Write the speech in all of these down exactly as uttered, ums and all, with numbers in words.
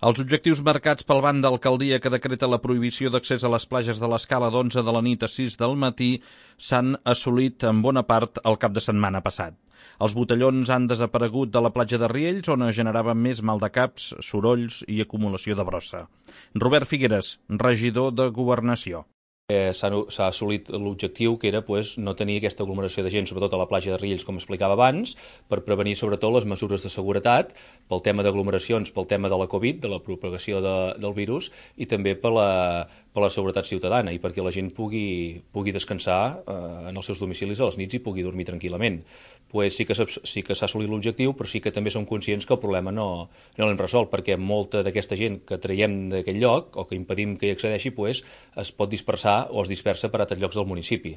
Els objectius marcats pel ban d'alcaldia que decreta la prohibició d'accés a les platges de l'Escala d'onze de la nit a sis del matí s'han assolit en bona part el cap de setmana passat. Els botellons han desaparegut de la platja de Riells, on es generaven més maldecaps, sorolls i acumulació de brossa. Robert Figueres, regidor de Governació. Eh, S'ha assolit l'objectiu que era pues, no tenir aquesta aglomeració de gent, sobretot a la platja de Riells, com explicava abans, per prevenir sobretot les mesures de seguretat, pel tema d'aglomeracions, pel tema de la Covid, de la propagació de, del virus, i també per la, per la seguretat ciutadana, i perquè la gent pugui, pugui descansar eh, en els seus domicilis a les nits i pugui dormir tranquil·lament. Pues sí que s'ha sí que s'ha assolit l'objectiu, però sí que també som conscients que el problema no, no l'hem resolt, perquè molta d'aquesta gent que traiem d'aquell lloc, o que impedim que hi accedeixi, pues, es pot dispersar o es dispersa per altres llocs del municipi.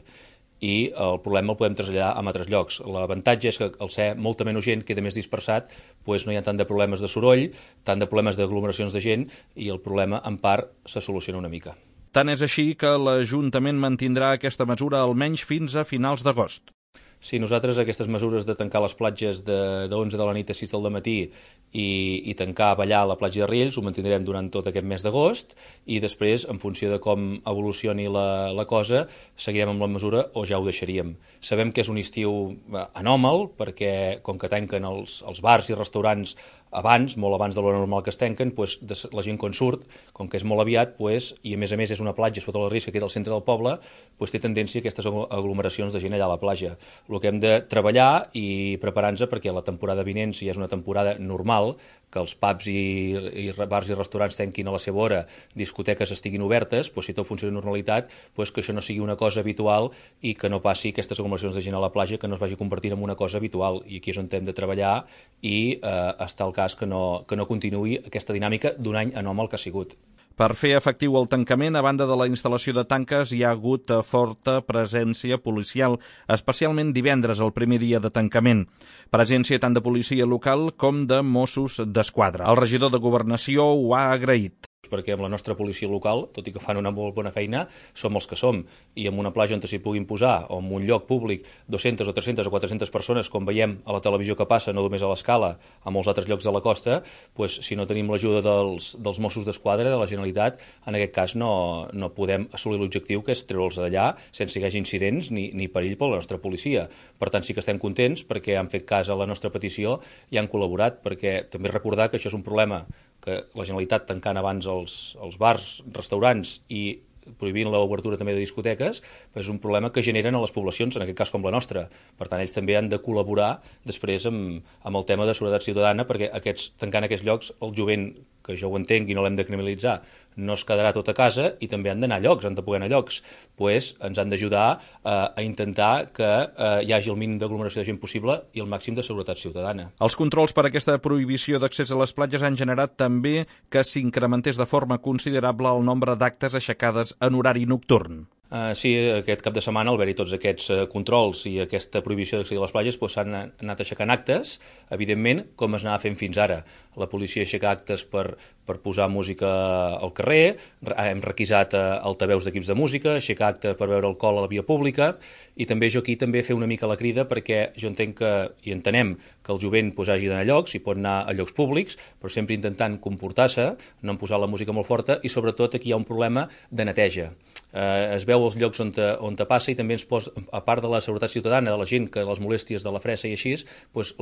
I el problema el podem traslladar a altres llocs. L'avantatge és que al ser molta menys gent queda més dispersat, doncs no hi ha tant de problemes de soroll, tant de problemes d'aglomeracions de gent, i el problema en part se soluciona una mica. Tant és així que l'Ajuntament mantindrà aquesta mesura almenys fins a finals d'agost. Sí, nosaltres aquestes mesures de tancar les platges de, de onze de la nit a sis del matí i, i tancar ballar a la platja de Riells ho mantindrem durant tot aquest mes d'agost, i després, en funció de com evolucioni la, la cosa, seguirem amb la mesura o ja ho deixaríem. Sabem que és un estiu anòmal, perquè com que tanquen els, els bars i restaurants abans, molt abans de l'hora normal que es tanquen, doncs, la gent quan surt, com que és molt aviat, doncs, i a més a més és una platja sota la Rissa que queda al centre del poble, doncs, té tendència a aquestes aglomeracions de gent allà a la platja. El que hem de treballar i preparar-nos perquè la temporada vinent, si és una temporada normal, que els pubs i, i bars i restaurants tanquin a la seva hora, discoteques estiguin obertes, doncs, si tot funciona de normalitat, doncs, que això no sigui una cosa habitual i que no passi aquestes aglomeracions de gent a la platja, que no es vagi convertint en una cosa habitual. I aquí és on hem de treballar i eh, estar al cas que no, que no continuï aquesta dinàmica d'un any anòmal que ha sigut. Per fer efectiu el tancament, a banda de la instal·lació de tanques, hi ha hagut forta presència policial, especialment divendres, el primer dia de tancament. Presència tant de policia local com de Mossos d'Esquadra. El regidor de Governació ho ha agraït. Perquè amb la nostra policia local, tot i que fan una molt bona feina, som els que som. I en una platja on s'hi puguin posar, o en un lloc públic, dues-centes o tres-centes o quatre-centes persones, com veiem a la televisió que passa, no només a l'Escala, a molts altres llocs de la costa, doncs, si no tenim l'ajuda dels, dels Mossos d'Esquadra, de la Generalitat, en aquest cas no, no podem assolir l'objectiu, que és treure'ls d'allà sense que hi hagi incidents ni, ni perill per la nostra policia. Per tant, sí que estem contents perquè han fet cas a la nostra petició i han col·laborat, perquè també recordar que això és un problema que la Generalitat tancant abans els, els bars, restaurants i prohibint l'obertura també de discoteques, és un problema que generen a les poblacions, en aquest cas com la nostra. Per tant, ells també han de col·laborar després amb, amb el tema de seguretat ciutadana, perquè aquests, tancant aquests llocs, el jovent, que jo ho entenc i no l'hem de criminalitzar, no es quedarà tot a casa i també han d'anar a llocs, han de poder anar a llocs. Pues ens han d'ajudar eh, a intentar que eh, hi hagi el mínim d'aglomeració de gent possible i el màxim de seguretat ciutadana. Els controls per a aquesta prohibició d'accés a les platges han generat també que s'incrementés de forma considerable el nombre d'actes aixecades en horari nocturn. Uh, sí, aquest cap de setmana, al haver-hi tots aquests uh, controls i aquesta prohibició d'accedir a les platges, doncs, s'han anat aixecant actes, evidentment, com es anava fent fins ara. La policia aixeca actes per, per posar música al carrer, hem requisat uh, altaveus d'equips de música, aixecar acte per beure alcohol a la via pública, i també jo aquí també fer una mica la crida, perquè jo entenc que, i entenem que el jovent pues, hagi d'anar a llocs, i pot anar a llocs públics, però sempre intentant comportar-se, no en posar la música molt forta, i sobretot aquí hi ha un problema de neteja. Uh, es veu els llocs on te, on te passa i també ens posa, a part de la seguretat ciutadana, de la gent que les molèsties de la fressa i així, doncs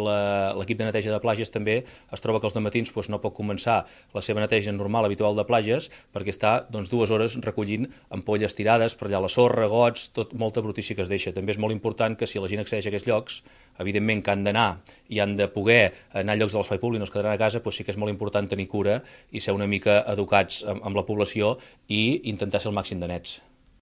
l'equip de neteja de platges també es troba que els dematins doncs, no pot començar la seva neteja normal, habitual de platges, perquè està doncs, dues hores recollint ampolles tirades per allà la sorra, gots, tot, molta brutícia que es deixa. També és molt important que si la gent accedeix a aquests llocs, evidentment que han d'anar i han de poder anar a llocs de l'espai públic, no es quedaran a casa, doncs sí que és molt important tenir cura i ser una mica educats amb, amb la població i intentar ser el màxim de nets.